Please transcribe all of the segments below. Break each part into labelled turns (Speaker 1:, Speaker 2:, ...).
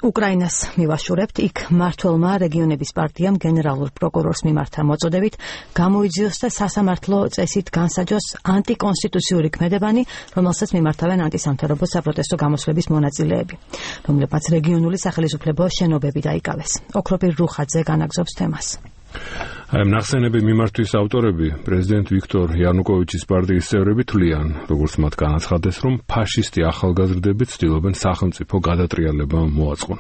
Speaker 1: უკრაინას მივაშურებთ, იქ მმართველმა რეგიონების პარტიამ გენერალურ პროკურორს მიმართა მოწოდებით გამოიძიოს და სასამართლო წესით განსაჯოს ანტიკონსტიტუციური ქმედებანი, რომელსაც მიმართავენ ანტისამთავრობო საპროტესტო გამოსვლების მონაწილეები, რომლებმაც რეგიონული სახელისუფლებო შენობები დაიკავეს. ოქროპირ რუხაძე განაგზობს თემას.
Speaker 2: Აი ამ ნახსენების მიმართვის ავტორები პრეზიდენტ ვიქტორ იანუკოვიჩის პარტიის წევრები თვლიან, როგორც მათ განაცხადეს, რომ ფაშისტი ახალგაზრდები ცდილობენ სახელმწიფო გადატრიალება მოაწყონ.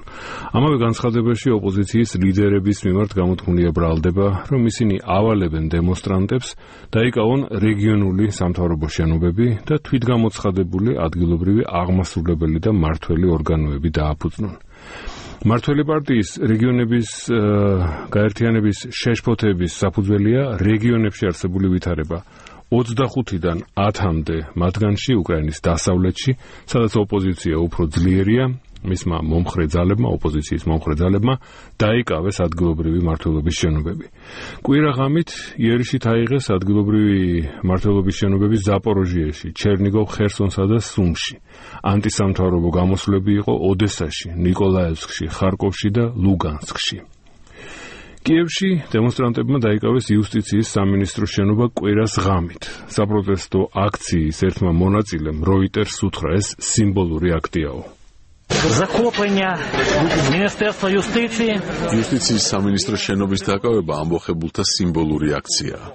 Speaker 2: ამავე განცხადებაში ოპოზიციის ლიდერების მიმართ გამოთქმულია ბრალდება, რომ ისინი ავალებენ დემონსტრანტებს, დაიკავონ რეგიონული სამთავრობო შენობები და თვითგამოცხადებული ადგილობრივი აღმასრულებელი და მმართველი ორგანოები დააფუძნონ. მმართველი პარტიის რეგიონების გაერთიანების შეშფოთების საფუძველია რეგიონებში არსებული ვითარება 25-დან 10-მდე მათგანში უკრაინის დასავლეთში, სადაც ოპოზიცია უფრო ძლიერია, მისმა მომხრე ძალებმა, ოპოზიციის მომხრე ძალებმა დაიკავეს ადგილობრივი მმართველობის შენობები. კვირა ღამით იერიშით აიღეს ადგილობრივი მმართველობის შენობები ზაპოროჟიეში, ჩერნიგოვ, ხერსონსა და სუმში. ანტისამთავრობო გამოსვლები იყო ოდესაში, ნიკოლაევსკში, ხარკოვში და ლუგანსკში. კიევში დემონსტრანტებმა დაიკავეს იუსტიციის სამინისტროს შენობა კვირას ღამით. საპროტესტო აქციის ერთმა მონაწილემ როიტერს უთხრა, ეს სიმბოლური აქტიაო.
Speaker 3: Захоплення Міністерства юстиції.
Speaker 4: Юстицიის სამინისტროს შენობის დაკავება ამბოხებულთა სიმბოლური აქციაა.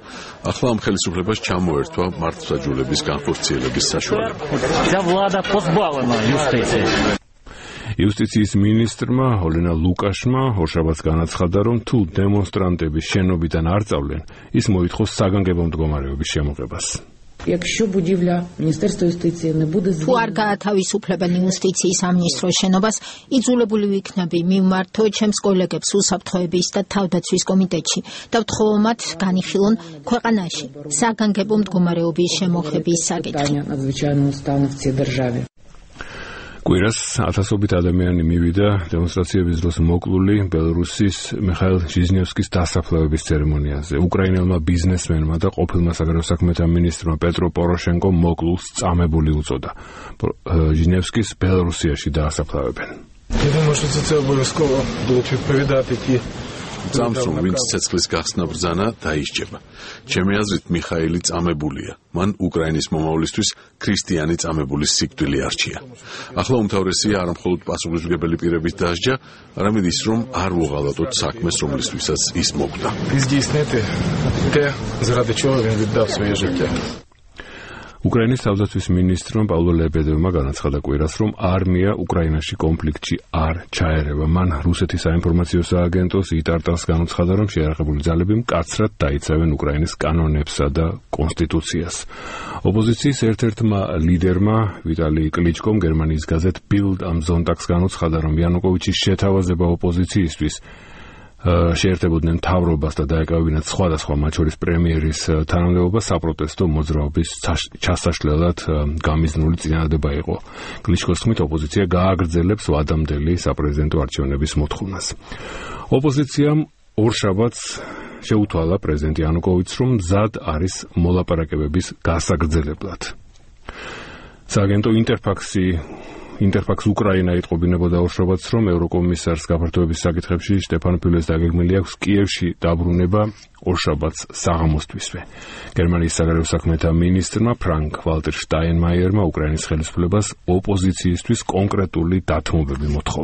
Speaker 4: ახლა ამ ხელისუფლებას ჩამოერთვა მართლმსაჯულების განხორციელების საშუალება.
Speaker 3: Ця влада позбавлена юстиції.
Speaker 2: იუსტიციის მინისტრმა ოლენა ლუკაშმა ორშაბათს განაცხადა, რომ თუ დემონსტრანტები შენობიდან არ წავლენ, ის მოითხოვს საგანგებო მდგომარეობის შემოღებას.
Speaker 5: Якщо будівля Міністерства юстиції не буде
Speaker 6: თუ არ გაათავისუფლებენ იუსტიციის სამინისტროს შენობას, იძულებული ვიქნები მიმართო ჩემს კოლეგებს უსაფრთხოების და თავდაცვის კომიტეტში და ვთხოვ მათ განიხილონ ქვეყანაში საგანგებო მდგომარეობის შემოღების საკითხი.
Speaker 2: კვირას ათასობით ადამიანი მივიდა დემონსტრაციების დროს მოკლული ბელორუსის მიხაილ ჟიზნევსკის დასაფლავების ცერემონიაზე. უკრაინელმა ბიზნესმენმა და ყოფილმა საგარეო საქმეთა მინისტრმა პეტრო პოროშენკომ მოკლულს წამებული უწოდა. ჟიზნევსკის ბელორუსიაში დაასაფლავებენ.
Speaker 7: Я думаю, что це обов'язково будуть відповідати ті
Speaker 4: Წამს რომ ვინც ცეცხლის გახსნა ბრძანა დაისჯება. ჩემი აზრით მიხაილი წამებულია. მან უკრაინის მომავლისთვის ქრისტიანი წამებულის სიკვდილი არჩია. ახლა უმთავრესია არა მხოლოდ პასუხისმგებელი პირებით დასჯა, არამედ ის რომ არ ვუღალატოთ საქმეს, რომლისთვისაც ის მოკვდა.
Speaker 7: здійснити те, заради чого він віддав своє життя.
Speaker 2: უკრაინის თავდაცვის მინისტრმა პავლო ლებედევმა განაცხადა კვირას, რომ არმია უკრაინაში კონფლიქტში არ ჩაერევა. მან რუსეთის საინფორმაციო სააგენტოს იტარტას განუცხადა, რომ შეიარაღებული ძალები მკაცრად დაიცავენ უკრაინის კანონებსა და კონსტიტუციას. ოპოზიციის ერთ-ერთმა ლიდერმა ვიტალი კლიჩკომ გერმანიის გაზეთ Bild am Sonntag-ს განუცხადა, რომ იანუკოვიჩის შეთავაზება ოპოზიციისთვის შეერთებოდნენ მთავრობას და დაეკავებინათ სხვადასხვა, მათ შორის პრემიერის თანამდებობა საპროტესტო მოძრაობის ჩასაშლელად გამიზნული წინადადება იყო. კლიშკოს თქმით, ოპოზიცია გააგრძელებს ვადამდელი საპრეზიდენტო არჩევნების მოთხოვნას. ოპოზიციამ ორშაბათს შეუთვალა პრეზიდენტ იანუკოვიჩს, რომ მზად არის მოლაპარაკებების გასაგრძელებლად. სააგენტო ინტერფაქს უკრაინა იტყობინებოდა ორშაბათს, რომ ევროკომისარს გაფართოების საკითხებში შტეფან ფილეს დაგეგმილი აქვს კიევში დაბრუნება ორშაბათს საღამოსთვისვე. გერმანიის საგარეო საქმეთა მინისტრმა ფრანკ ვალტერ შტაინმაიერმა უკრაინის ხელისუფლებას ოპოზიციისთვის კონკრეტული დათმობები მოთხოვა.